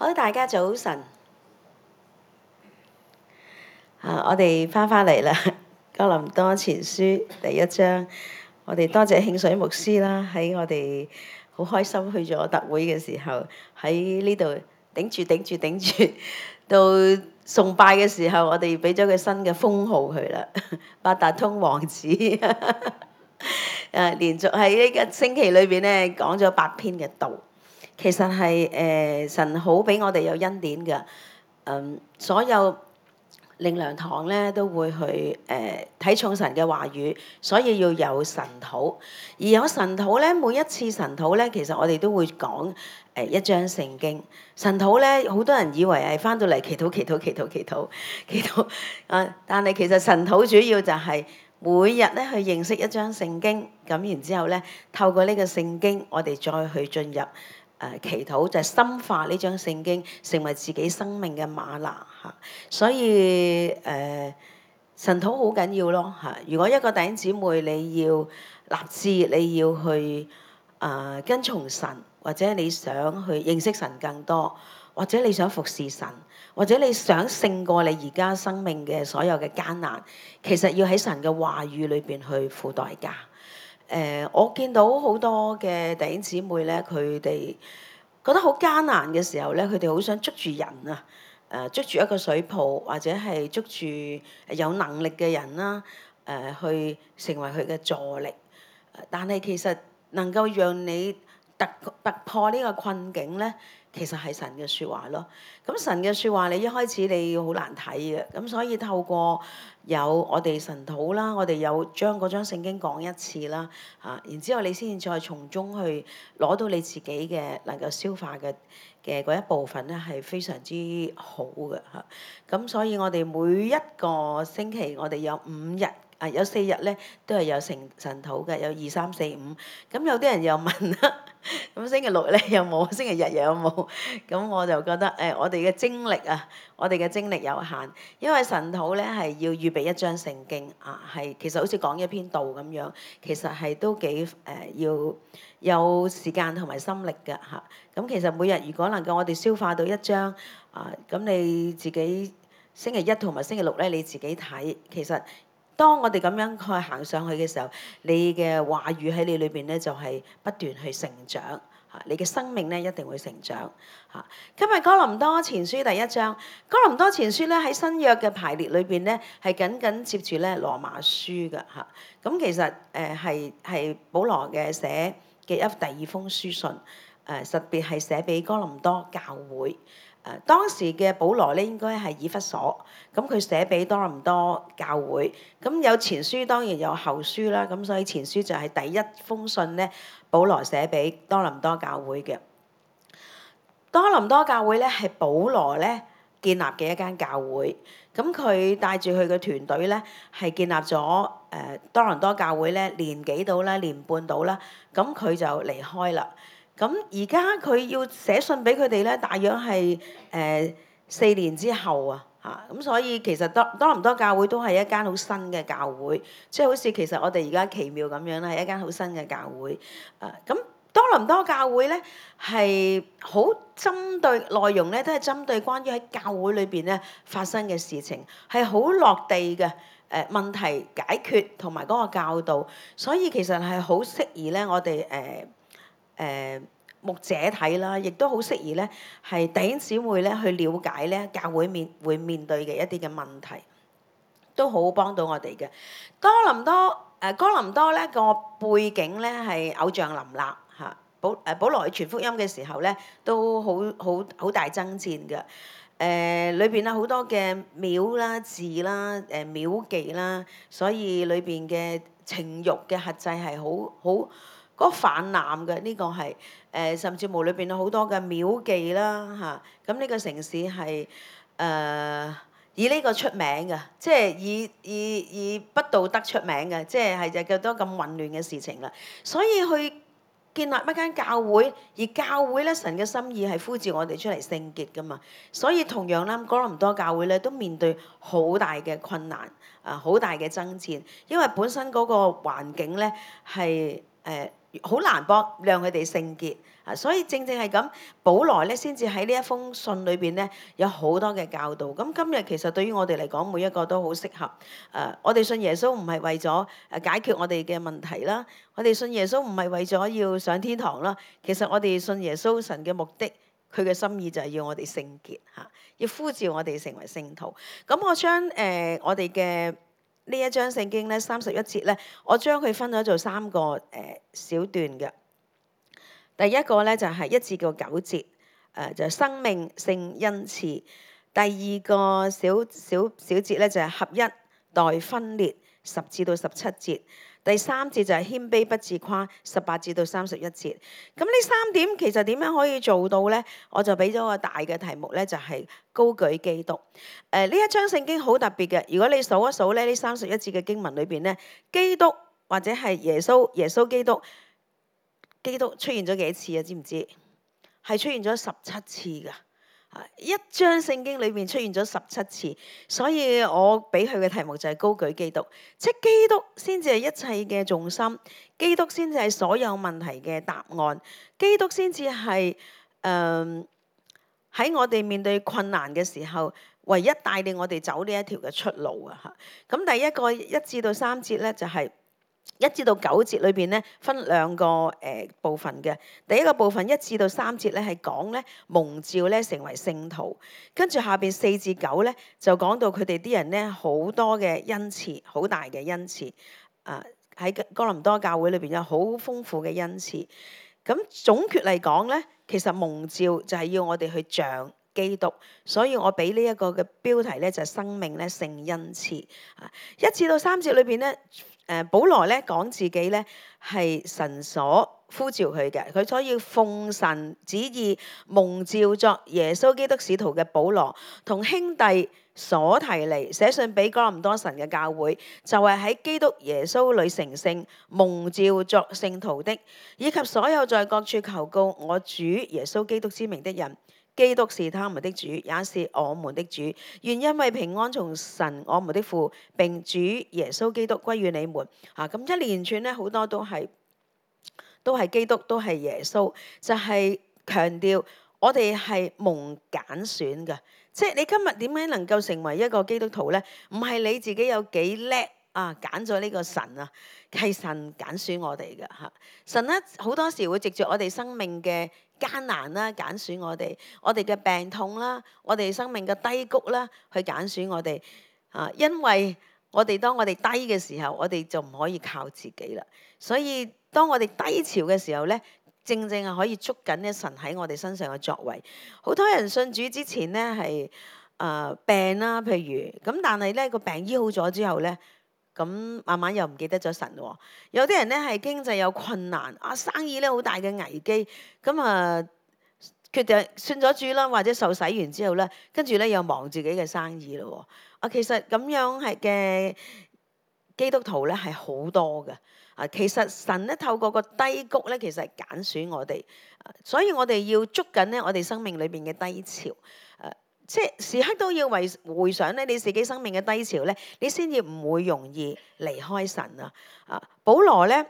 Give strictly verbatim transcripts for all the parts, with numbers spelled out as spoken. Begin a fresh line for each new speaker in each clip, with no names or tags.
好，大家早晨。啊，我哋翻返嚟啦，《哥林多前書》第一章。我哋多謝慶水牧師啦，喺我哋好開心去咗特會嘅時候，喺呢度頂住頂住頂住，到崇拜嘅時候，我哋俾咗個新嘅封號佢啦，八達通王子。誒，連續喺呢個星期裏邊咧講咗八篇嘅道，其實係誒、呃、神好俾我哋有恩典嘅，嗯，所有靈糧堂咧都會去誒睇、呃、重神嘅話語，所以要有神禱。而有神禱咧，每一次神禱咧，其實我哋都會講誒、呃、一章聖經。神禱咧，好多人以為係翻到嚟祈禱、祈禱、祈禱、祈禱、祈禱啊，但係其實神禱主要就係每日咧去認識一章聖經，咁然之後咧透過呢個聖經，我哋再去進入。誒、呃、祈禱就係、是、深化呢張聖經，成為自己生命嘅嗎哪嚇。所以誒、呃、神禱好緊要咯嚇。如果一個弟兄姊妹你要立志，你要去誒、呃、跟從神，或者你想去認識神更多，或者你想服侍神，或者你想勝過你而家生命嘅所有嘅艱難，其實要喺神嘅話語裏邊去付代價。誒、呃，我見到好多嘅弟兄姊妹咧，佢哋覺得好艱難嘅時候咧，佢哋好想捉住人啊，誒、呃，捉住一個水泡，或者係捉住有能力嘅人啦，誒、呃，去成為佢嘅助力。但係其實能夠讓你突突破呢個困境咧，其實係神嘅説話咯。咁神嘅説話，你一開始你好難睇嘅，咁所以透過有我哋神禱啦，我哋有將嗰張聖經講一次啦，嚇，然之後你先至再從中去攞到你自己嘅能夠消化嘅嘅嗰一部分咧，係非常之好嘅嚇。咁所以我哋每一個星期，我哋有五日。啊，有四日咧都係有神神禱嘅，有二三四五。咁有啲人又問啦，咁星期六咧有冇？星期日又有冇？咁我就覺得誒、呃，我哋嘅精力啊，我哋嘅精力有限，因為神禱咧係要預備一章聖經啊，係其實好似講一篇道咁樣，其實係都幾誒、呃、要有時間同埋心力嘅嚇。咁、啊、其實每日如果能夠我哋消化到一章啊，咁你自己星期一同埋星期六咧你自己睇，其實。當我哋咁樣去行上去嘅時候，你嘅話語喺你裏邊咧就係不斷去成長嚇，你嘅生命咧一定會成長嚇。今日哥林多前書第一章，哥林多前書咧喺新約嘅排列裏邊咧係緊緊接住咧羅馬書嘅嚇。咁其實誒係係保羅嘅寫嘅一第二封書信，誒特別係寫俾哥林多教會。誒、呃、當時嘅保羅咧應該係以弗所，咁佢寫俾多倫多教會，咁有前書當然有後書啦，咁所以前書就係第一封信咧，保羅寫俾多倫多教會嘅。多倫多教會咧係保羅咧建立嘅一間教會，咁佢帶住佢嘅團隊咧係建立咗誒、呃、多倫多教會咧年幾到啦，年半到啦，咁佢就離開啦。咁而家佢要寫信俾佢哋咧，大約係誒、呃、四年之後啊，嚇咁所以其實多多倫多教會都係一間好新嘅教會，即係好似其實我哋而家奇妙咁樣啦，係一間好新嘅教會。啊，咁多倫多教會咧係好針對內容咧，都係針對關於喺教會裏邊咧發生嘅事情，係好落地嘅誒問題解決同埋嗰個教導，所以其實係好適宜咧，我哋誒。呃誒、呃、牧者睇啦，亦都好適宜咧，係弟兄姊妹咧去了解咧教會面會面對嘅一啲嘅問題，都好幫到我哋嘅。多林多誒、呃、哥林多咧個背景咧係偶像林立嚇，保誒保羅去傳福音嘅時候咧都好好好大爭戰嘅。誒裏邊啊好多嘅廟啦、字啦、誒、呃、廟妓啦，所以裏邊嘅情慾嘅轄制係好好。嗰個泛濫嘅呢個係誒、呃，甚至乎裏邊有好多嘅廟妓啦嚇，咁、啊、呢個城市係誒、呃、以呢個出名嘅，即係以以以不道德出名嘅，即係係就叫多咁混亂嘅事情啦。所以去建立一間教會，而教會咧神嘅心意係呼召我哋出嚟聖潔噶嘛。所以同樣啦，哥林多教會咧都面對好大嘅困難啊，好大嘅爭戰，因為本身嗰個環境咧係誒。好難幫讓佢哋聖潔啊！所以正正係咁，保羅咧先至喺呢一封信裏邊咧有好多嘅教導。咁今日其實對於我哋嚟講，每一個都好適合。誒、呃，我哋信耶穌唔係為咗誒解決我哋嘅問題啦，我哋信耶穌唔係為咗要上天堂啦。其實我哋信耶穌神嘅目的，佢嘅心意就係要我哋聖潔嚇，要呼召我哋成為聖徒。咁我將誒、呃、我哋嘅呢一章聖經咧三十一節咧，我將佢分咗做三個誒、呃、小段嘅。第一個咧就係、是、一至到九節，誒、呃、就係、是、生命聖恩賜。第二個小小小節咧就係、是、合一待分裂，十至到十七節。第三節就係謙卑不自誇，十八至到三十一節。咁呢三點其實點樣可以做到咧？我就俾咗個大嘅題目咧，就係、是、高舉基督。誒、呃、呢一章聖經好特別嘅，如果你數一數咧，呢三十一節嘅經文裏邊咧，基督或者係耶穌耶穌基督，基督出現咗幾次啊？知唔知？係出現咗十七次㗎。一章聖經裏面出現咗十七次，所以我俾佢嘅題目就係高舉基督，即係基督先至係一切嘅重心，基督先至係所有問題嘅答案，基督先至係誒喺我哋面對困難嘅時候，唯一帶領我哋走呢一條嘅出路啊！嚇，咁第一個一至到三節咧就係、是。一至到九節裏邊咧分兩個誒、呃、部分嘅，第一個部分一至到三節咧係講咧蒙召咧成為聖徒，跟住下邊四至九咧就講到佢哋啲人咧好多嘅恩賜，好大嘅恩賜，啊喺哥林多教會裏邊有好豐富嘅恩賜。咁總括嚟講咧，其實蒙召就係要我哋去像基督，所以我俾呢一個嘅標題咧就係、是、生命咧聖恩賜。啊，一至到三節裏邊咧。誒，保羅咧講自己咧係神所呼召佢嘅，佢所要奉神旨意蒙召作耶穌基督使徒嘅保羅，同兄弟所提尼寫信俾哥林多神嘅教會，就係、是、喺基督耶穌裏成聖蒙召作聖徒的，以及所有在各處求告我主耶穌基督之名的人。基督是他們的主，也是我們的主。願因為平安從神我們的父並主耶穌基督歸於你們。啊，咁一連串咧，好多都係都係基督，都係耶穌，就係、是、強調我哋係蒙揀選嘅。即係你今日點樣能夠成為一個基督徒咧？唔係你自己有幾叻啊，揀咗呢個神啊，係神揀選我哋嘅嚇。神咧好多時會藉住我哋生命嘅艱難啦，揀選我哋，我哋嘅病痛啦，我哋生命嘅低谷啦，去揀選我哋啊！因為我哋當我哋低嘅時候，我哋就唔可以靠自己啦。所以當我哋低潮嘅時候咧，正正係可以捉緊咧神喺我哋身上嘅作為。好多人信主之前咧係誒病啦，譬如咁，但係咧個病醫好咗之後咧。咁慢慢又唔記得咗神喎。有啲人咧係經濟有困難，啊生意咧好大嘅危機，咁啊決定信咗主啦，或者受洗完之後咧，跟住咧又忙自己嘅生意咯。啊，其實咁樣係嘅基督徒咧係好多嘅。啊，其實神咧透過個低谷咧，其實係揀選我哋，所以我哋要捉緊咧我哋生命裏邊嘅低潮。誒。即係時刻都要為回想咧，你自己生命嘅低潮咧，你先至唔會容易離開神啊！啊，保羅咧，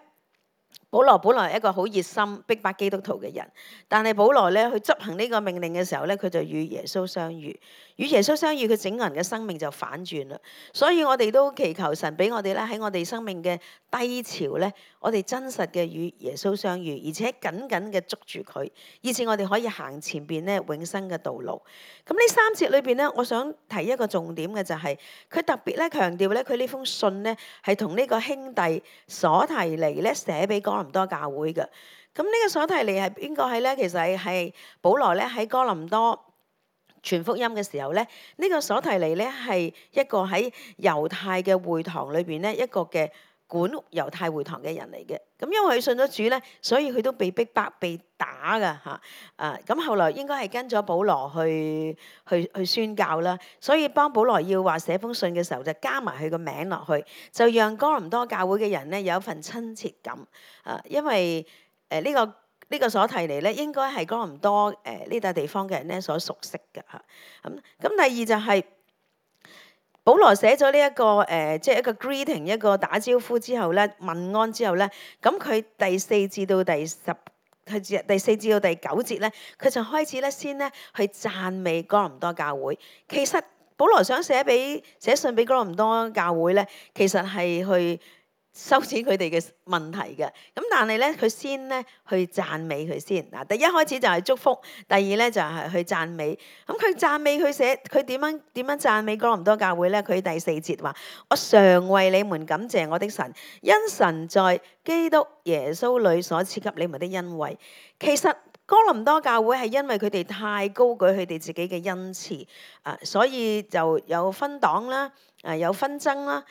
保羅本來係一個好熱心逼迫基督徒嘅人，但係保羅咧去執行呢個命令嘅時候咧，佢就與耶穌相遇，與耶穌相遇，佢整個人嘅生命就反轉啦。所以我哋都祈求神俾我哋咧喺我哋生命嘅低潮咧，我哋真實嘅與耶穌相遇，而且緊緊嘅捉住佢，以至我哋可以行前邊咧永生嘅道路。咁呢三節裏邊咧，我想提一個重點嘅就係、是、佢特別咧強調咧，佢呢封信咧係同呢個兄弟所提尼咧寫俾哥林多教會嘅。咁呢個所提尼係邊個係咧？其實係係保羅咧喺哥林多傳福音嘅時候咧，呢、這個所提尼咧係一個喺猶太嘅會堂裏邊咧一個嘅管猶太會堂嘅人嚟嘅。咁因為佢信咗主咧，所以佢都被逼迫、被打噶嚇。啊，咁後來應該係跟咗保羅去去去宣教啦。所以幫保羅要話寫封信嘅時候，就加埋佢個名落去，就讓哥林多教會嘅人咧有一份親切感。啊，因為誒呢、呃這個。呢個所提尼咧，應該係哥林多誒呢笪地方嘅人咧所熟悉嘅嚇。咁咁第二就係、是、保羅寫咗呢一個誒、呃，即係一個 greeting，一個打招呼之後咧，問安之後咧，咁佢第四至到第十，佢第四至到第九節咧，佢就開始咧先咧去讚美哥林多教會。其實保羅想寫俾寫信俾哥林多教會咧，其實係去收錢佢哋嘅問題嘅，咁但係咧佢先咧去讚美佢先嗱。第一開始就係祝福，第二咧就係去讚美。咁佢讚美佢寫佢點樣點樣讚美哥林多教會咧？佢第四節話：我常為你們感謝我的神，因神在基督耶穌裏所賜給你們的恩惠。其實哥林多教會係因為佢哋太高舉佢哋自己嘅恩賜啊，所以就有分黨啦，啊有紛爭啦。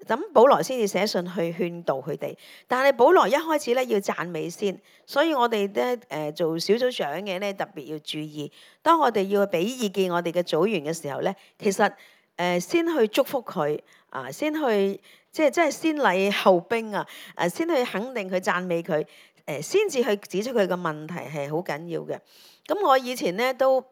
咁保羅先至寫信去勸導佢哋，但係保羅一開始咧要讚美先，所以我哋咧誒做小組長嘅咧特別要注意，當我哋要俾意見我哋嘅組員嘅時候咧，其實誒、呃、先去祝福佢啊，先去即係即係先禮後兵啊，誒先去肯定佢讚美佢，誒先至去指出佢嘅問題係好緊要嘅。咁我以前咧都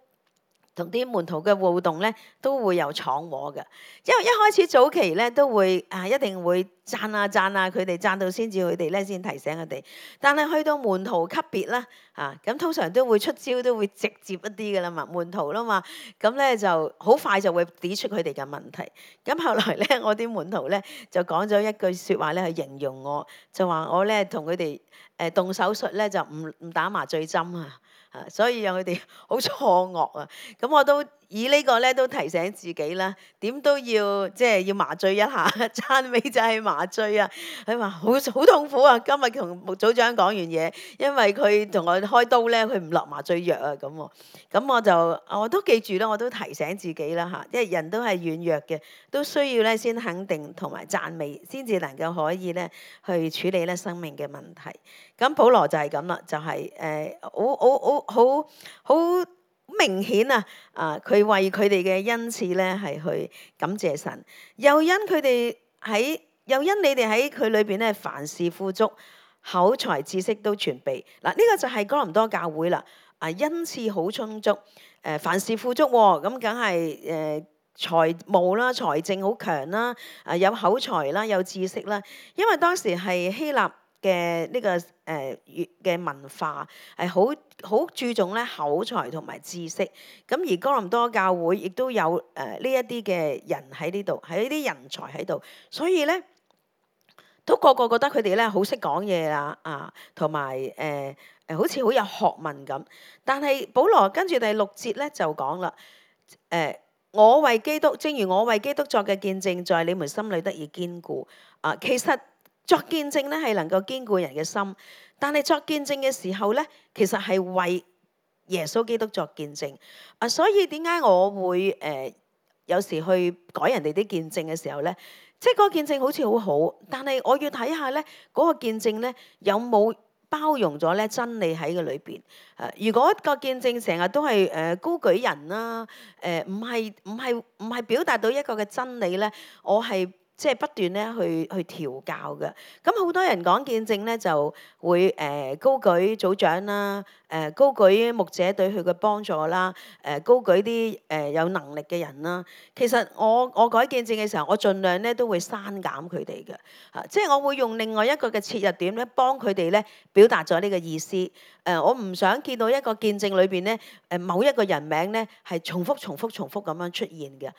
同啲門徒嘅互動咧，都會有闖禍嘅，因為一開始早期咧都會啊，一定會讚啊讚啊佢哋，讚到先至佢哋咧先提醒佢哋。但係去到門徒級別啦，啊咁通常都會出招，都會直接一啲嘅啦嘛，門徒啦嘛，咁咧就好快就會指出佢哋嘅問題。咁後來咧，我啲門徒咧就講咗一句説話咧去形容我，就話我咧同佢哋誒動手術咧就唔唔打麻醉針啊。啊，所以讓佢哋好錯愕啊！咁我都以呢個咧都提醒自己啦，點都要即係要麻醉一下，讚美就係麻醉啊！佢話好好痛苦啊！今日同牧組長講完嘢，因為佢同我開刀咧，佢唔落麻醉藥啊咁喎。咁我就我都記住啦，我都提醒自己啦嚇，因為人都係軟弱嘅，都需要咧先肯定同埋讚美，先至能夠可以咧去處理咧生命嘅問題。咁保羅就係咁啦，就係誒好好好好好明顯啊！啊，佢為佢哋嘅恩賜咧係去感謝神，又因佢哋喺又因你哋喺佢裏邊咧凡事富足，口才知識都全備。嗱，呢個就係哥林多教會啦。啊，恩賜好充足，誒凡事富足喎，咁梗係誒財務啦、財政好強啦，啊有口才啦、有知識啦，因為當時係希臘嘅呢個誒嘅文化係好好注重咧口才同埋知識，咁而哥林多教會亦都有誒呢一啲嘅人喺呢度，係呢啲人才喺度，所以咧都個個覺得佢哋咧好識講嘢啦，啊，同埋誒誒好似好有學問咁。但係保羅跟住第六節咧就講啦，誒、呃、我為基督，正如我為基督作嘅見證，在你們心裏得以堅固。啊，其實作見證咧係能夠堅固人嘅心，但係作見證嘅時候咧，其實係為耶穌基督作見證。啊，所以點解我會誒、呃、有時去改人哋啲見證嘅時候咧，即係嗰個見證好似好好，但係我要睇下咧嗰個見證咧有冇包容咗咧真理喺個裏邊。誒，如果個見證成日都係誒高舉人啦，誒唔係唔係唔係表達到一個嘅真理咧，我係即係不斷咧去去調教嘅。咁好多人講見證咧就會誒高舉組長啦，誒高舉牧者對佢嘅幫助啦，誒高舉啲誒有能力嘅人啦。其實我我改見證嘅時候，我盡量咧都會刪減佢哋嘅，啊，即係我會用另外一個嘅切入點咧，幫佢哋咧表達咗呢個意思。誒，我唔想見到一個見證裏邊咧，誒某一個人名咧係重複、重複、重複咁樣出現嘅。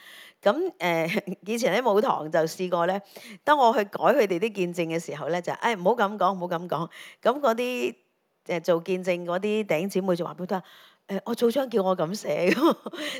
咁誒、呃，以前喺舞堂就試過咧，當我去改佢哋啲見證嘅時候咧，就誒唔好咁講，唔好咁講。咁嗰啲誒做見證嗰啲弟兄姊妹就話俾佢聽，誒我組長叫我咁寫，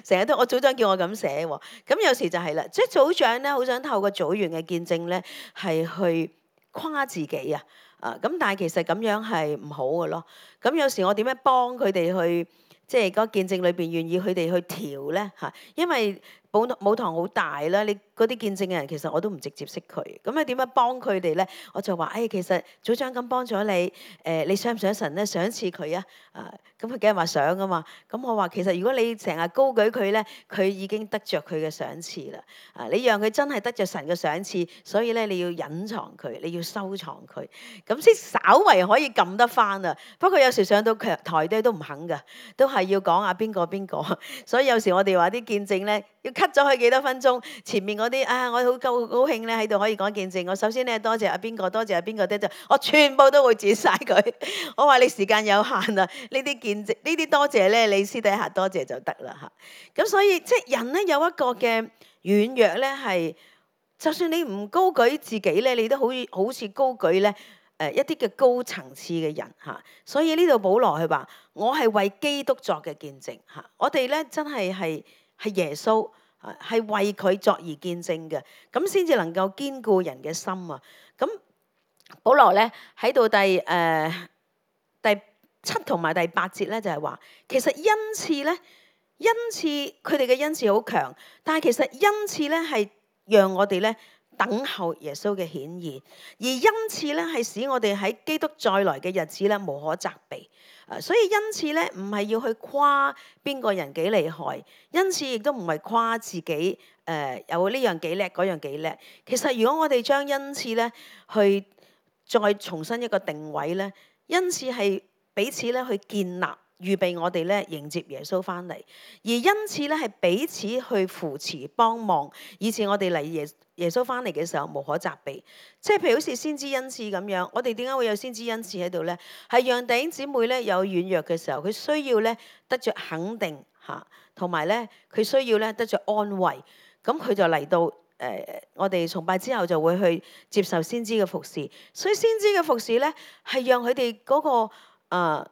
成日都我組長叫我咁寫喎。咁有時就係啦，即係組長咧好想透過組員嘅見證咧係去誇自己啊。啊，咁但係其實咁樣係唔好嘅咯。咁有時我點樣幫佢哋去，即係嗰見證裏邊願意佢哋去調咧嚇？因為舞舞堂好大啦，你嗰啲見證嘅人其實我都唔直接識佢，咁你點樣幫佢哋咧？我就話，誒、哎，其實組長咁幫咗你，誒、呃，你想唔想神咧賞賜佢啊？啊，咁佢梗係話想噶嘛。咁我話其實如果你成日高舉佢咧，佢已經得着佢嘅賞賜啦。啊，你讓佢真係得着神嘅賞賜，所以咧你要隱藏佢，你要收藏佢，咁先稍為可以撳得翻啊。不過有時上到台咧都唔肯噶，都係要講啊邊個邊個。所以有時我哋話啲見證咧，要 cut 咗佢幾多分鐘，前面嗰啲啊，我好高高興咧喺度可以講見證。我首先咧多謝阿邊個，多謝阿邊個咧，就我全部都會剪晒佢。我話你時間有限啊，呢啲見證呢啲多謝咧，你私底下多謝就得啦嚇。咁所以即係人咧有一個嘅軟弱咧，係就算你唔高舉自己咧，你都好好似高舉咧。誒一啲嘅高層次嘅人嚇，所以呢度保羅佢話：我係為基督作嘅見證嚇。我哋咧真係係係耶穌啊，係為佢作而見證嘅，咁先至能夠堅固人嘅心啊。咁保羅咧喺度第誒、呃、第七同埋第八節咧就係話，其實恩賜咧，恩賜佢哋嘅恩賜好強，但係其實恩賜咧係讓我哋咧。等候耶穌嘅顯現，而恩賜咧係使我哋喺基督再來嘅日子咧無可責備。啊，所以恩賜咧唔係要去誇邊個人幾厲害，恩賜亦都唔係誇自己誒、呃、有呢樣幾叻，嗰樣幾叻。其實如果我哋將恩賜咧去再重新一個定位咧，恩賜係彼此咧去建立。預備我哋咧迎接耶穌翻嚟，而因此咧係彼此去扶持幫忙，以至我哋嚟耶耶穌翻嚟嘅時候無可責備。即係譬如好似先知恩賜咁樣，我哋點解會有先知恩賜喺度咧？係讓弟兄姊妹咧有軟弱嘅時候，佢需要咧得着肯定嚇，同埋咧佢需要咧得着安慰。咁佢就嚟到誒、呃，我哋崇拜之後就會去接受先知嘅服侍。所以先知嘅服侍咧係讓佢哋嗰個、呃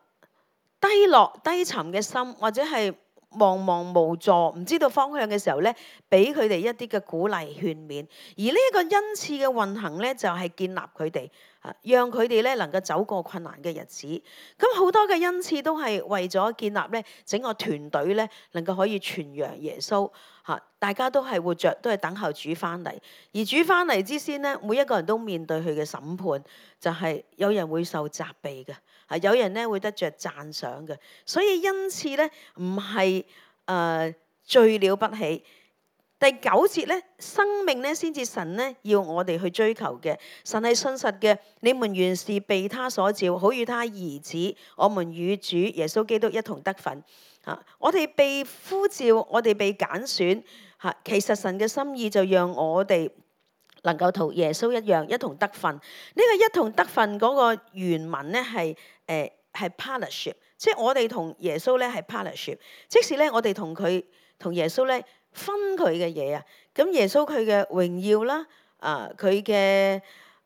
低落低沉嘅心，或者係茫茫無助，唔知道方向嘅時候咧，俾佢哋一啲嘅鼓勵勸勉。而呢一個恩賜嘅運行咧，就係、是、建立佢哋，啊，讓佢哋咧能夠走過困難嘅日子。咁好多嘅恩賜都係為咗建立咧整個團隊咧，能夠可以傳揚耶穌。嚇，大家都係活着，都係等候主翻嚟。而主翻嚟之先咧，每一個人都面對佢嘅審判，就係、是、有人會受責備嘅。啊！有人咧會得着讚賞嘅，所以恩賜咧唔係誒最了不起。第九節咧，生命咧先至神咧要我哋去追求嘅。神係信實嘅，你們原是被他所召，好與他兒子，我們與主耶穌基督一同得份。嚇！我哋被呼召，我哋被揀選。嚇！其實神嘅心意就讓我哋能夠同耶穌一樣一同得份。呢、這個一同得份嗰個原文咧係誒係 partnership，即係我哋同耶穌咧係 partnership。即使咧我哋同佢同耶穌咧分佢嘅嘢啊，咁耶穌佢嘅榮耀啦，啊佢嘅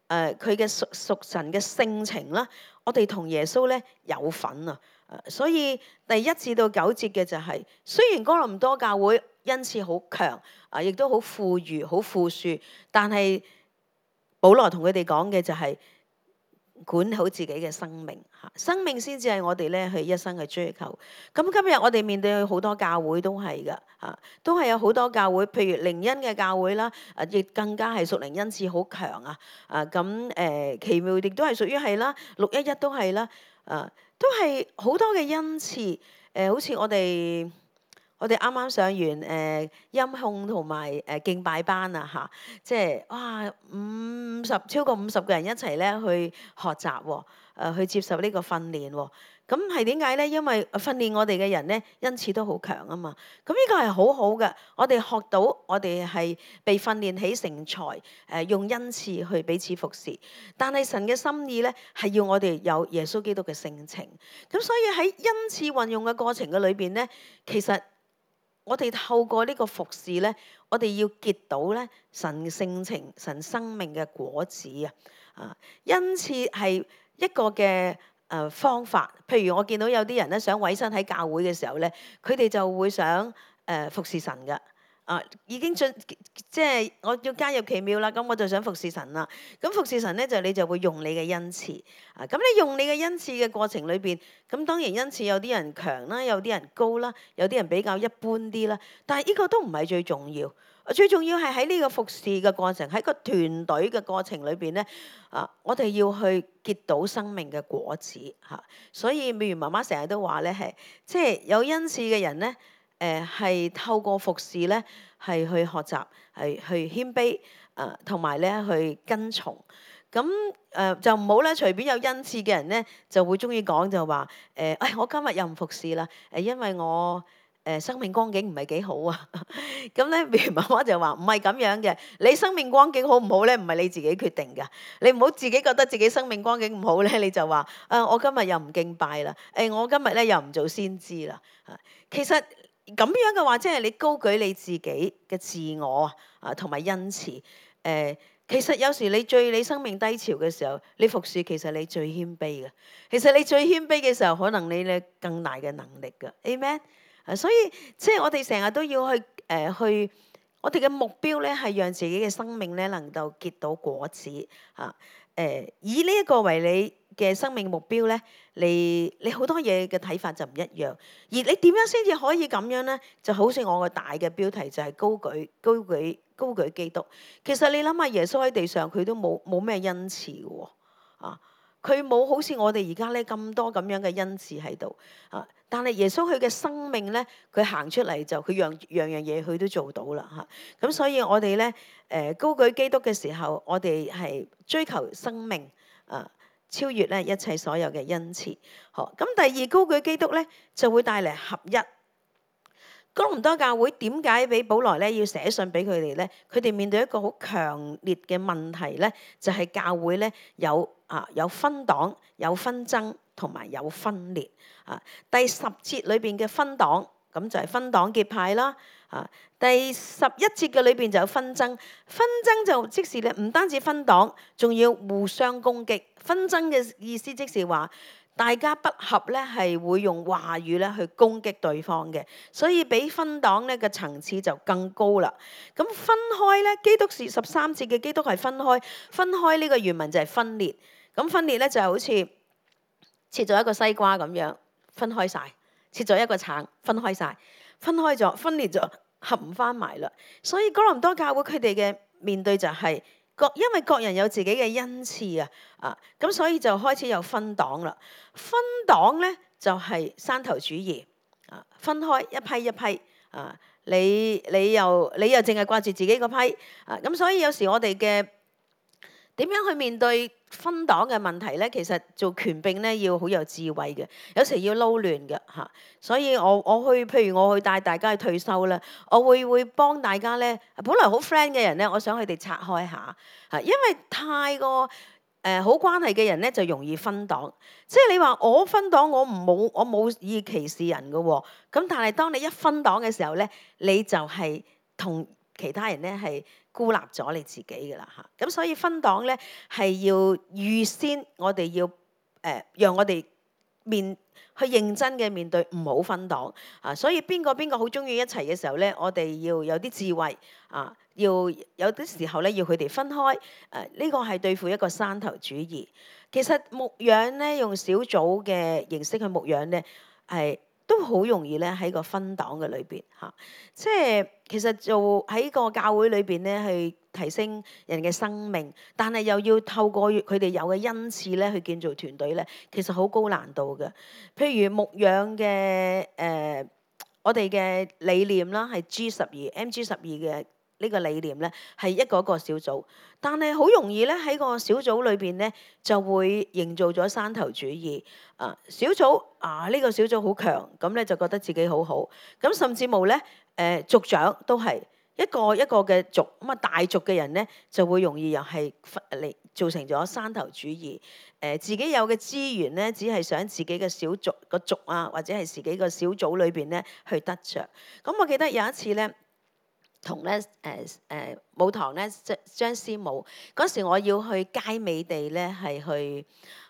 誒佢嘅屬屬神嘅性情啦，我哋同耶穌咧有份啊。所以第一至到九節嘅就係、是，雖然哥林多教會恩賜好強啊，亦都好富裕、好富庶，但係保羅同佢哋講嘅就係管好自己嘅生命嚇，生命先至係我哋咧去一生去追求。咁今日我哋面對好多教會都係噶嚇，都係有好多教會，譬如靈恩嘅教會啦，啊亦更加係屬靈恩賜好強啊。啊咁誒奇妙亦都係屬於係啦，六一一都係啦，啊。都係好多嘅恩賜，誒、呃、好似我哋我哋啱啱上完誒、呃、音控同埋誒敬拜班啊嚇，即係哇五十超過五十個人一齊咧去學習喎，誒、呃、去接受呢個訓練喎。咁係點解咧？因為訓練我哋嘅人咧，恩賜都好強啊嘛。咁呢個係好好嘅。我哋學到，我哋係被訓練起成才，誒、呃、用恩賜去彼此服侍。但係神嘅心意咧，係要我哋有耶穌基督嘅性情。咁所以喺恩賜運用嘅過程嘅裏邊咧，其實我哋透過呢個服侍咧，我哋要結到咧神性情、神生命嘅果子啊！啊，恩賜係一個嘅。誒、呃、方法，譬如我見到有啲人咧想委身喺教會嘅時候咧，佢哋就會想誒、呃、服侍神嘅，啊、呃、已經進即係我要加入奇妙啦，咁我就想服侍神啦。咁服侍神咧就你就會用你嘅恩賜，啊咁你用你嘅恩賜嘅過程裏邊，咁當然恩賜有啲人強啦，有啲人高啦，有啲人比較一般啲啦，但係呢個都唔係最重要。最重要係喺呢個服侍嘅過程，喺個團隊嘅過程裏邊咧，啊，我哋要去結到生命嘅果子嚇。所以美如媽媽成日都話咧，係即係有恩賜嘅人咧，誒、呃、係透過服侍咧，係去學習，係去謙卑，誒同埋咧去跟從。咁誒、呃、就唔好咧，隨便有恩賜嘅人咧，就會中意講就話誒，誒、哎、我今日又唔服侍啦，誒因為我。誒生命光景唔係幾好啊。咁咧，譬如媽媽就話唔係咁樣嘅，你生命光景好唔好咧，唔係你自己決定㗎。你唔好自己覺得自己生命光景唔好咧，你就話啊，我今日又唔敬拜啦，誒，我今日咧又唔做先知啦。其實咁樣嘅話，即係你高舉你自己嘅自我啊，同埋恩慈。誒、呃，其實有時你最你生命低潮嘅時候，你服侍其實你最謙卑嘅。其實你最謙卑嘅時候，可能你咧更大嘅能力㗎。Amen。啊，所以即係我哋成日都要去誒、呃、去，我哋嘅目標咧係讓自己嘅生命咧能夠結到果子啊。誒、呃，以呢一個為你嘅生命目標咧，你你好多嘢嘅睇法就唔一樣。而你點樣先至可以咁樣咧？就好似我個大嘅標題就係高舉高舉高舉基督。其實你諗下，耶穌喺地上佢都冇冇咩恩賜嘅喎啊。佢冇好似我哋而家咧咁多咁樣嘅恩賜喺度啊！但係耶穌佢嘅生命咧，佢行出嚟就佢樣樣樣嘢佢都做到啦嚇。咁、啊、所以我哋咧誒高舉基督嘅時候，我哋係追求生命啊，超越咧一切所有嘅恩賜。好，咁第二高舉基督咧就會帶嚟合一。哥林多教會點解俾保羅咧要寫信俾佢哋咧？佢哋面對一個好強烈嘅問題咧，就係、是、教會咧有啊有分黨、有紛爭同埋有分裂啊。第十節裏邊嘅分黨，咁就係分黨結派啦。啊，第十一節嘅裏邊就有紛爭，紛爭就即是咧唔單止分黨，仲要互相攻擊。紛爭嘅意思即是話，大家不合咧，係會用話語咧去攻擊對方嘅，所以比分黨咧嘅層次就更高啦。咁分開咧，基督是十三節嘅基督係分開，分開呢個原文就係分裂。咁分裂咧就係好似切咗一個西瓜咁樣分開晒，切咗一個橙分開晒，分開咗，分裂咗，合唔翻埋啦。所以哥林多教會佢哋嘅面對就係、是。各因為各人有自己嘅恩賜啊，啊咁所以就開始有分黨啦。分黨咧就係、是、山頭主義啊，分開一批一批啊，你你又你又淨係掛住自己個批啊，咁所以有時我哋嘅點樣去面對分黨嘅問題咧？其實做權柄咧要好有智慧嘅，有時要撈亂嘅嚇。所以我我去，譬如我去帶大家去退休啦，我會會幫大家咧，本來好 friend 嘅人咧，我想佢哋拆開下嚇，因為太過誒好關係嘅人咧就容易分黨。即係你話我分黨，我唔冇我冇意歧視人嘅喎。咁但係當你一分黨嘅時候咧，你就係同其他人咧係孤立咗你自己嘅啦嚇，咁所以分黨咧係要預先，我哋要誒、呃、讓我哋面去認真嘅面對，唔好分黨啊。所以邊個邊個好中意一齊嘅時候咧，我哋要有啲智慧啊，要有啲時候咧要佢哋分開誒。呢、啊這個係對付一個山頭主義。其實牧養咧用小組嘅形式去牧養咧係。都好容易咧喺個分黨嘅裏邊嚇，即係其實做喺個教會裏邊咧去提升人嘅生命，但係又要透過佢哋有嘅恩賜咧去建造團隊咧，其實好高難度嘅。譬如牧養嘅誒，我哋嘅理念啦係 G 十二 M G 十二嘅呢個理念咧係一個一個小組，但係好容易咧喺個小組裏邊咧就會營造咗山頭主義。啊，小組啊，呢、這個小組好強，咁咧就覺得自己好好，咁甚至乎咧，誒、呃、族長都係一個一個嘅族，咁啊大族嘅人咧就會容易又係嚟造成咗山頭主義，誒、呃、自己有嘅資源咧，只係想自己嘅小族個族啊，或者係自己個小組裏邊咧去得着。咁我記得有一次咧，同咧誒誒母堂咧張張師母嗰時，我要去佳美地咧係去。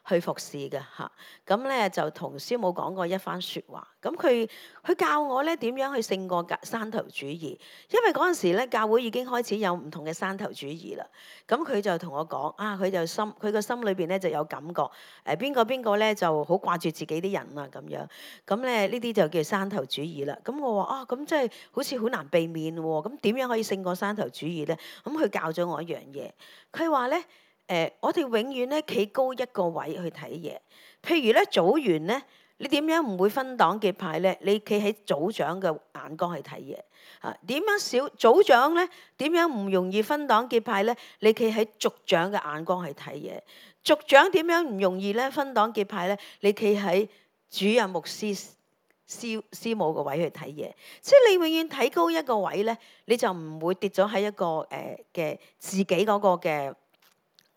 去服侍嘅嚇，咁咧就同師母講過一番説話。咁佢佢教我咧點樣去勝過山頭主義，因為嗰陣時咧教會已經開始有唔同嘅山頭主義啦。咁佢就同我講啊，佢就心佢個心裏邊咧就有感覺，誒邊個邊個咧就好掛住自己啲人啊咁樣。咁咧呢啲就叫山頭主義啦。咁我話啊，咁即係好似好難避免喎。咁點樣可以勝過山頭主義咧？咁佢教咗我一樣嘢，佢話咧。誒、呃，我哋永遠咧企高一個位去睇嘢。譬如咧組員咧，你點樣唔會分黨結派咧？你企喺組長嘅眼光去睇嘢。啊，點樣小組長咧？點樣唔容易分黨結派咧？你企喺族長嘅眼光去睇嘢。族長點樣唔容易咧分黨結派咧？你企喺主任牧師師師母個位去睇嘢，即係你永遠睇高一個位咧，你就唔會跌咗喺一個誒嘅、呃、自己嗰個嘅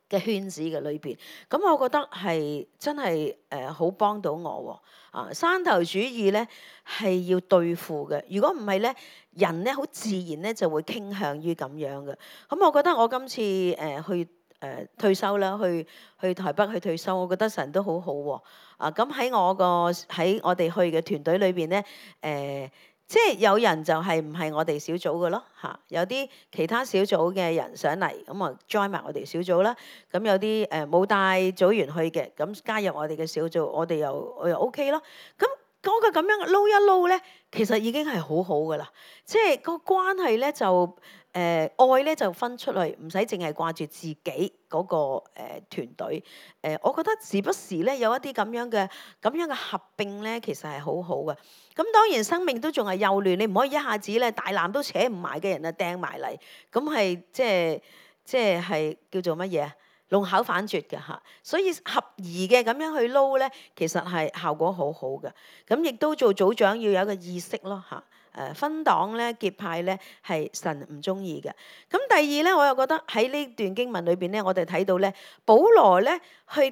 嘅圈子嘅裏邊。咁我覺得係真係誒好幫到我喎。啊，山頭主義咧係要對付嘅，如果唔係咧，人咧好自然咧就會傾向於咁樣嘅。咁我覺得我今次誒、呃、去誒、呃、退休啦，去去台北去退休，我覺得神都好好、啊、喎。啊，咁喺我個喺我哋去嘅團隊裏邊咧，誒、呃，即係有人就係唔係我哋小組嘅咯嚇，有啲其他小組嘅人上嚟，咁啊 join 埋我哋小組啦。咁有啲誒冇帶組員去嘅，咁加入我哋嘅小組，我哋又我又 OK 咯。咁嗰個咁樣撈一撈咧，其實已經係好好噶啦，即係個關係咧就誒、呃、愛咧就分出去，唔使淨係掛住自己嗰、那個誒、呃、團隊。誒、呃，我覺得時不時咧有一啲咁樣嘅咁樣嘅合併咧，其實係好好嘅。咁當然生命都仲係幼嫩，你唔可以一下子咧大纜都扯唔埋嘅人啊掟埋嚟，咁係即係即係係叫做乜嘢啊？弄巧反拙嘅嚇，所以合宜嘅咁樣去撈咧，其實係效果好好嘅。咁亦都做組長要有一個意識咯嚇。誒分黨咧結派咧係神唔中意嘅。咁第二咧，我又覺得喺呢段經文裏邊咧，我哋睇到咧，保羅咧去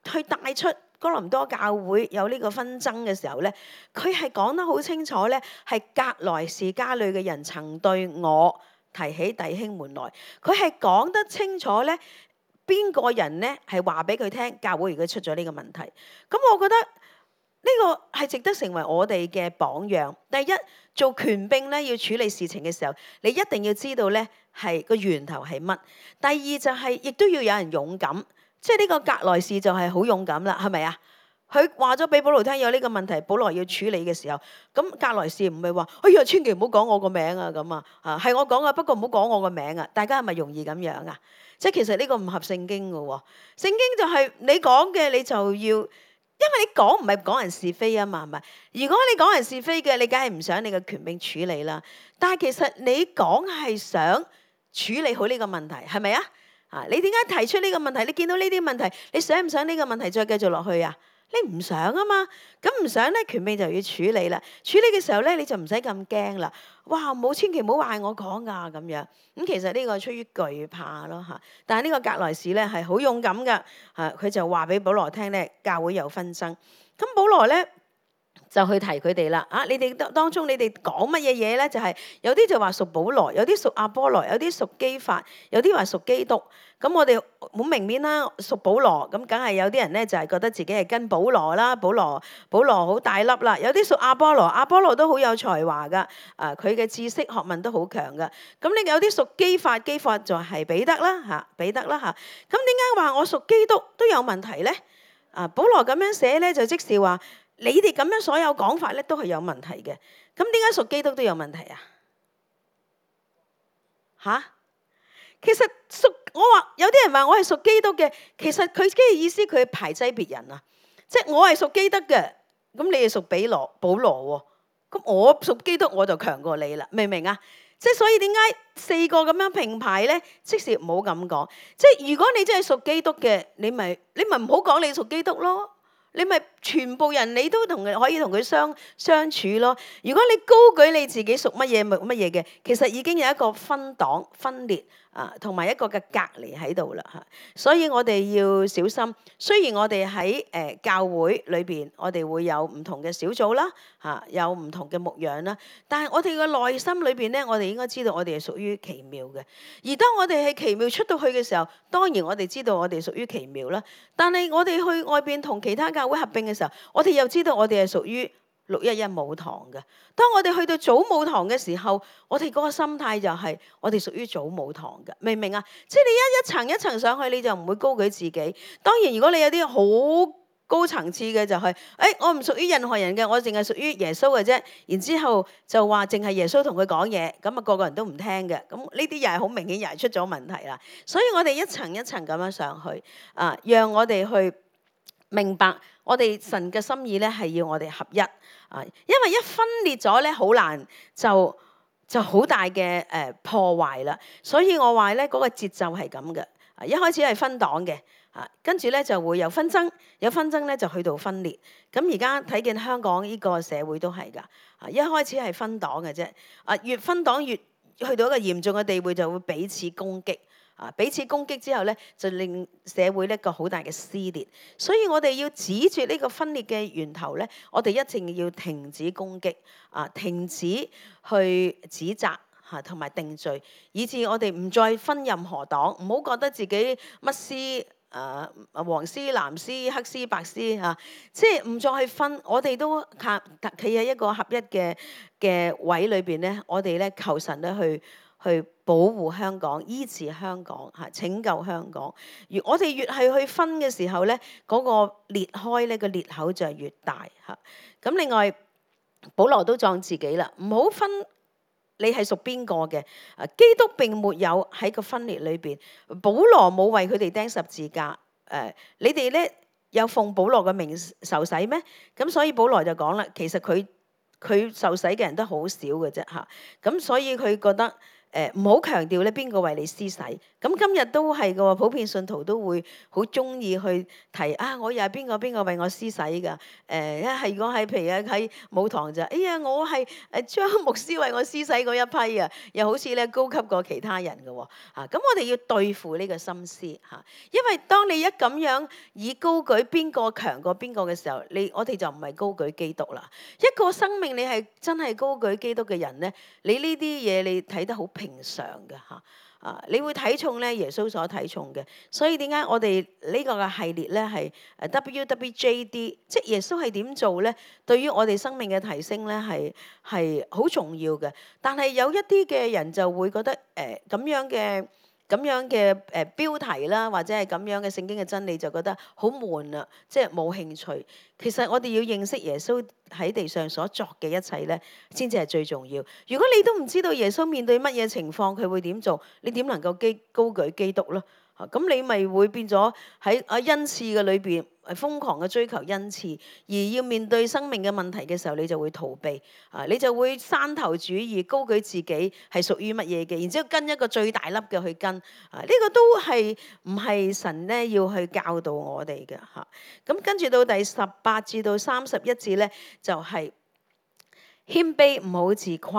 去帶出哥林多教會有呢個紛爭嘅時候咧，佢係講得好清楚咧，係革來氏家裏嘅人曾對我提起弟兄們來，佢係講得清楚咧。邊個人咧係話俾佢聽？教會如果出咗呢個問題，咁我覺得呢個係值得成為我哋嘅榜樣。第一，做權柄咧要處理事情嘅時候，你一定要知道咧係個源頭係乜。第二就係、是、亦都要有人勇敢，即係呢個革來氏就係好勇敢啦，係咪啊？佢話咗俾保羅聽有呢個問題，保羅要處理嘅時候，咁革來氏唔係話哎呀千祈唔好講我個名啊咁啊，啊係我講啊，不過唔好講我個名啊。大家係咪容易咁樣啊？即係其實呢個唔合聖經嘅喎，聖經就係你講嘅你就要，因為你講唔係講人是非啊嘛，係咪？如果你講人是非嘅，你梗係唔想你嘅權柄處理啦。但係其實你講係想處理好呢個問題，係咪啊？啊，你點解提出呢個問題？你見到呢啲問題，你想唔想呢個問題再繼續落去啊？你唔想啊嘛，咁唔想咧，權柄就要處理啦。處理嘅時候咧，你就唔使咁驚啦。哇，冇千祈唔好話我講噶咁樣。咁其實呢個係出於懼怕咯嚇。但係呢個革來氏咧係好勇敢噶嚇，佢就話俾保羅聽咧，教會有紛爭。咁保羅咧就去提佢哋啦。啊，你哋當當中你哋講乜嘢嘢咧？就係、是、有啲就話屬保羅，有啲屬亞波羅，有啲屬基法，有啲話屬基督。咁我哋好明面啦，屬保羅，咁梗係有啲人咧就係覺得自己係跟保羅啦，保羅保羅好大粒啦。有啲屬亞波羅，亞波羅都好有才華噶，啊佢嘅知識學問都好強噶。咁你有啲屬基法，基法就係彼得啦嚇，彼得啦嚇。咁點解話我屬基督都有問題咧？啊，保羅咁樣寫咧，就即是話你哋咁樣所有講法咧都係有問題嘅。咁點解屬基督都有問題啊？嚇？其實屬我話有啲人話我係屬基督嘅，其實佢嘅意思佢排擠別人啊，即係我係屬基督嘅，咁你係屬比羅保羅喎，咁我屬基督我就強過你啦，明唔明啊？即係所以點解四個咁樣並排咧？即使唔好咁講，即係如果你真係屬基督嘅，你咪你咪唔好講你屬基督咯，你咪全部人你都同佢可以同佢相相處咯。如果你高舉你自己屬乜嘢乜嘢嘅，其實已經有一個分黨分裂。啊，同埋一個嘅隔離喺度啦嚇，所以我哋要小心。雖然我哋喺誒教會裏邊，我哋會有唔同嘅小組啦，嚇有唔同嘅牧養啦，但係我哋嘅內心裏邊咧，我哋應該知道我哋係屬於奇妙嘅。而當我哋係奇妙出到去嘅時候，當然我哋知道我哋屬於奇妙啦。但係我哋去外邊同其他教會合併嘅時候，我哋又知道我哋係屬於六一一母堂嘅。當我哋去到祖母堂嘅時候，我哋嗰個心態就係我哋屬於祖母堂嘅，明唔明啊？即係你一一層一層上去，你就唔會高舉自己。當然，如果你有啲好高層次嘅，就係、是、誒、哎、我唔屬於任何人嘅，我淨係屬於耶穌嘅啫。然之後就話淨係耶穌同佢講嘢，咁啊個個人都唔聽嘅。咁呢啲又係好明顯，又係出咗問題啦。所以我哋一層一層咁樣上去啊，讓我哋去明白我哋神嘅心意咧，係要我哋合一啊！因為一分裂咗咧，好難就就好大嘅誒破壞啦。所以我話咧，嗰個節奏係咁嘅。啊，一開始係分黨嘅，啊，跟住咧就會有紛爭，有紛爭咧就去到分裂。咁而家睇見香港呢個社會都係㗎，啊一開始係分黨嘅啫，啊越分黨越去到一個嚴重嘅地步，就會彼此攻擊。啊！彼此攻擊之後咧，就令社會一個好大嘅撕裂。所以我哋要止住呢個分裂嘅源頭咧，我哋一定要停止攻擊，啊，停止去指責嚇，同埋定罪，以致我哋唔再分任何黨，唔好覺得自己乜絲誒黃絲、藍絲、黑絲、白絲嚇，即係唔再去分。我哋都靠企喺一個合一嘅嘅位裏邊咧，我哋咧求神咧去。去保護香港、醫治香港、嚇拯救香港。越我哋越係去分嘅時候咧，嗰、那個裂開咧個裂口就係越大嚇。咁另外，保羅都撞自己啦，唔好分你係屬邊個嘅。啊，基督並沒有喺個分裂裏邊，保羅冇為佢哋釘十字架。誒、呃，你哋咧有奉保羅嘅名受洗咩？咁所以保羅就講啦，其實佢佢受洗嘅人都好少嘅啫嚇。咁所以佢覺得。誒唔好強調咧，邊個為你施洗？咁今日都係嘅喎，普遍信徒都會好中意去提啊！我又係邊個邊個為我施洗㗎？誒、呃，一係如果係譬如喺母堂就，哎呀，我係誒張牧師為我施洗嗰一批啊，又好似咧高級過其他人嘅喎。啊，咁我哋要對付呢個心思嚇，因為當你一咁樣以高舉邊個強過邊個嘅時候，你我哋就唔係高舉基督啦。一個生命你係真係高舉基督嘅人咧，你呢啲嘢你睇得好平常嘅嚇。啊！你會睇重咧耶穌所睇重嘅，所以點解我哋呢個嘅系列咧係誒 W W J D，即係耶穌係點做咧？對於我哋生命嘅提升咧係係好重要嘅。但係有一啲嘅人就會覺得誒咁、呃、樣嘅咁樣嘅誒、呃、標題啦，或者係咁樣嘅聖經嘅真理就覺得好悶啊，即係冇興趣。其實我哋要認識耶穌喺地上所作嘅一切咧，先至係最重要。如果你都唔知道耶穌面對乜嘢情況，佢會點做，你點能夠基高舉基督咧？啊，咁你咪會變咗喺啊恩賜嘅裏邊係瘋狂嘅追求恩賜，而要面對生命嘅問題嘅時候，你就會逃避啊，你就會山頭主義，高舉自己係屬於乜嘢嘅，然之後跟一個最大粒嘅去跟啊，呢個都係唔係神咧要去教導我哋嘅嚇。咁跟住到第十八至到三十一節咧，就係謙卑，唔好自誇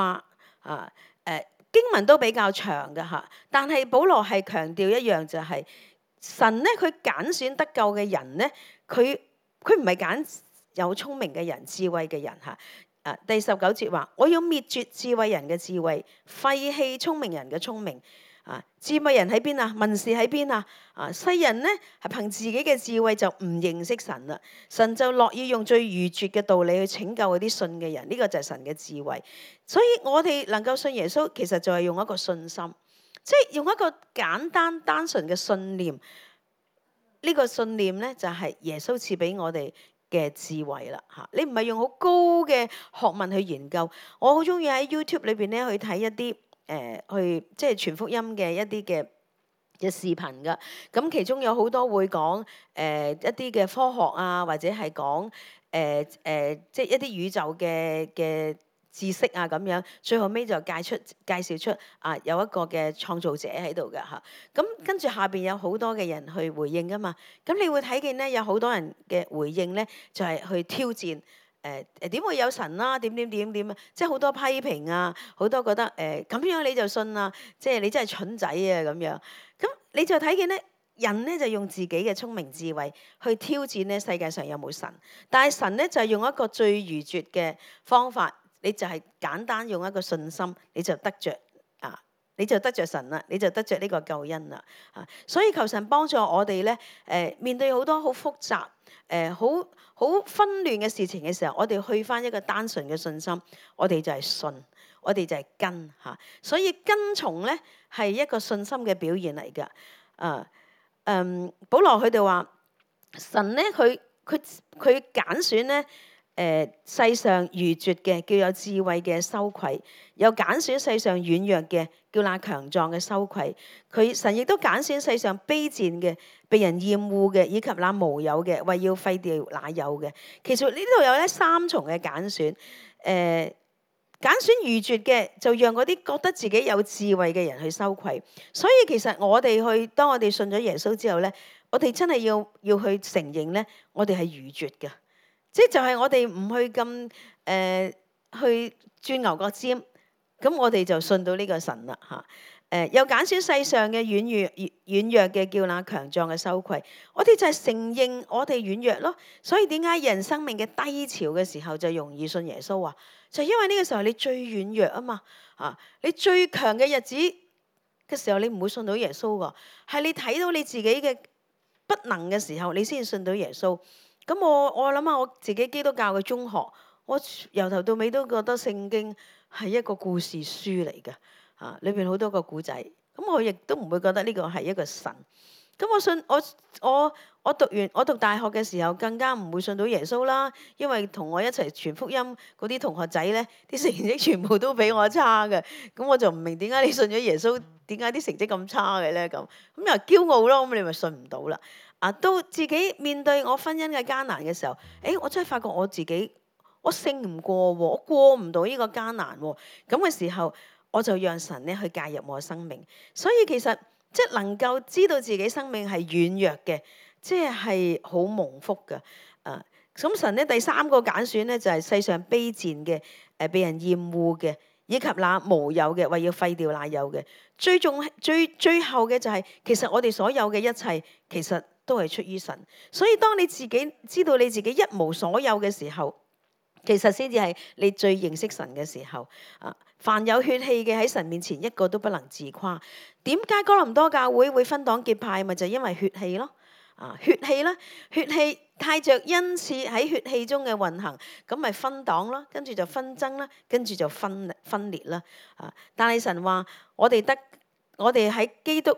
啊。誒經文都比較長嘅嚇，但係保羅係強調一樣就係神咧，佢揀選得救嘅人咧，佢佢唔係揀有聰明嘅人、智慧嘅人嚇。啊，第十九節話：我要滅絕智慧人嘅智慧，廢棄聰明人嘅聰明。啊，智慧人喺邊啊？文士喺邊啊？啊，世人咧係憑自己嘅智慧就唔認識神啦。神就樂意用最愚拙嘅道理去拯救嗰啲信嘅人，呢、這個就係神嘅智慧。所以我哋能夠信耶穌，其實就係用一個信心，即係用一個簡單單純嘅信念。呢、這個信念咧就係耶穌賜俾我哋嘅智慧啦。嚇，你唔係用好高嘅學問去研究。我好中意喺 YouTube 裏邊咧去睇一啲。誒、呃、去即係傳福音嘅一啲嘅嘅視頻㗎，咁其中有好多會講誒、呃、一啲嘅科學啊，或者係講誒誒即係一啲宇宙嘅嘅知識啊咁樣，最後尾就介出介紹出啊有一個嘅創造者喺度㗎嚇，咁跟住下邊有好多嘅人去回應㗎嘛，咁你會睇見咧有好多人嘅回應咧就係、是、去挑戰。誒誒點會有神啦、啊？點點點點啊！即係好多批評啊，好多覺得誒咁、呃、樣你就信啊！即係你真係蠢仔啊咁樣。咁你就睇見咧，人咧就用自己嘅聰明智慧去挑戰咧世界上有冇神，但係神咧就係、是、用一個最愚拙嘅方法，你就係簡單用一個信心，你就得着啊！你就得着神啦，你就得着呢個救恩啦啊！所以求神幫助我哋咧誒面對好多好複雜誒好。呃好紛亂嘅事情嘅時候，我哋去返一個單純嘅信心，我哋就係信，我哋就係跟嚇，所以跟從咧係一個信心嘅表現嚟㗎。啊，嗯，保羅佢哋話神咧，佢佢佢揀選咧。誒、呃、世上愚拙嘅叫有智慧嘅羞愧，又揀選世上軟弱嘅叫那強壯嘅羞愧。佢神亦都揀選世上卑賤嘅、被人厭惡嘅，以及那無有嘅，為要廢掉那有嘅。其實呢度有咧三重嘅揀選。誒、呃、揀選愚拙嘅，就讓嗰啲覺得自己有智慧嘅人去羞愧。所以其實我哋去當我哋信咗耶穌之後咧，我哋真係要要去承認咧，我哋係愚拙嘅，即係就係我哋唔去咁誒、呃、去鑽牛角尖，咁我哋就信到呢個神啦嚇。誒又揀選世上嘅軟弱軟弱嘅，叫那強壯嘅羞愧。我哋就係承認我哋軟弱咯。所以點解人生命嘅低潮嘅時候就容易信耶穌啊？就因為呢個時候你最軟弱啊嘛，啊你最強嘅日子嘅時候你唔會信到耶穌噶，係你睇到你自己嘅不能嘅時候，你先信到耶穌。咁我我諗下我自己基督教嘅中學，我由頭到尾都覺得聖經係一個故事書嚟嘅，啊裏邊好多個古仔。咁我亦都唔會覺得呢個係一個神。咁我信我我我讀完我讀大學嘅時候，更加唔會信到耶穌啦，因為同我一齊傳福音嗰啲同學仔咧，啲成績全部都比我差嘅。咁我就唔明點解你信咗耶穌，點解啲成績咁差嘅咧？咁咁又驕傲咯，咁你咪信唔到啦。啊，到自己面對我婚姻嘅艱難嘅時候，誒，我真係發覺我自己我勝唔過喎，我過唔到呢個艱難喎。咁嘅時候，我就讓神咧去介入我嘅生命。所以其實即係能夠知道自己生命係軟弱嘅，即係好蒙福嘅。啊，咁神咧第三個揀選咧就係世上卑賤嘅，誒被人厭惡嘅，以及那無有嘅，為要廢掉那有嘅。最重最最後嘅就係，其實我哋所有嘅一切，其實都係出於神。所以當你自己知道你自己一無所有嘅時候，其實先至係你最認識神嘅時候。啊，凡有血氣嘅喺神面前一個都不能自誇。點解哥林多教會會分黨結派？咪就係因為血氣咯。啊，血氣啦，血氣帶着恩賜喺血氣中嘅運行，咁咪分黨啦，跟住就紛爭啦，跟住就分分裂啦。啊，但係神話我哋得我哋喺基督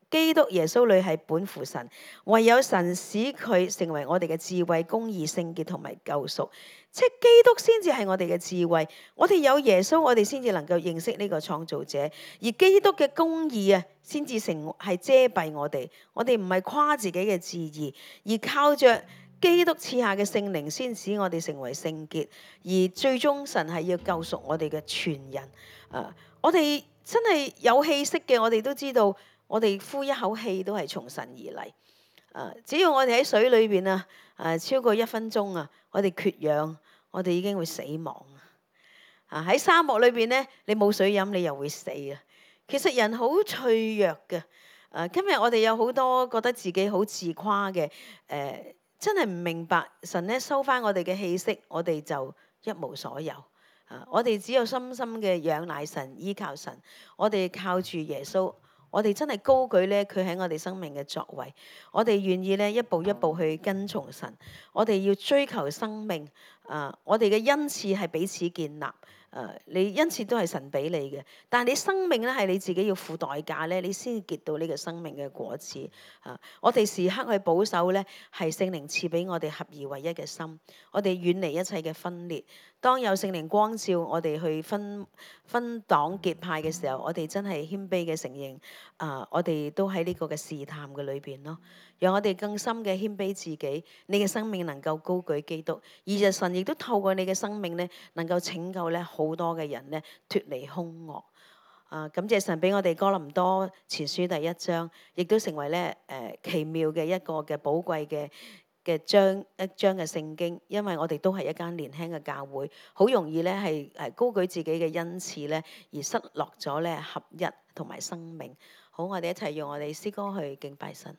基督耶穌裏係本乎神，唯有神使佢成為我哋嘅智慧、公義、聖潔同埋救贖。即係基督先至係我哋嘅智慧，我哋有耶穌，我哋先至能夠認識呢個創造者。而基督嘅公義啊，先至成係遮蔽我哋。我哋唔係誇自己嘅志義，而靠着基督賜下嘅聖靈，先使我哋成為聖潔。而最終神係要救贖我哋嘅全人。啊，我哋真係有氣息嘅，我哋都知道，我哋呼一口氣都係從神而嚟。啊，只要我哋喺水裏邊啊，誒超過一分鐘啊，我哋缺氧，我哋已經會死亡啊！喺沙漠裏邊咧，你冇水飲，你又會死啊！其實人好脆弱嘅。誒，今日我哋有好多覺得自己好自誇嘅，誒，真係唔明白神咧收翻我哋嘅氣息，我哋就一無所有啊！我哋只有深深嘅仰賴神，依靠神，我哋靠住耶穌。我哋真係高舉咧，佢喺我哋生命嘅作為，我哋願意咧一步一步去跟從神，我哋要追求生命。啊，我哋嘅恩賜係彼此建立。誒，你恩賜都係神俾你嘅，但係你生命咧係你自己要付代價咧，你先結到呢個生命嘅果子。啊，我哋時刻去保守咧，係聖靈賜俾我哋合而為一嘅心，我哋遠離一切嘅分裂。當有聖靈光照我哋去分分黨結派嘅時候，我哋真係謙卑嘅承認，啊，我哋都喺呢個嘅試探嘅裏邊咯。讓我哋更深嘅謙卑自己，你嘅生命能夠高舉基督，而就神亦都透過你嘅生命咧，能夠拯救咧好多嘅人咧脫離兇惡。啊，感謝神俾我哋哥林多前書第一章，亦都成為咧誒、呃、奇妙嘅一個嘅寶貴嘅嘅章一章嘅聖經，因為我哋都係一間年輕嘅教會，好容易咧係誒高舉自己嘅恩賜咧，而失落咗咧合一同埋生命。好，我哋一齊用我哋詩歌去敬拜神。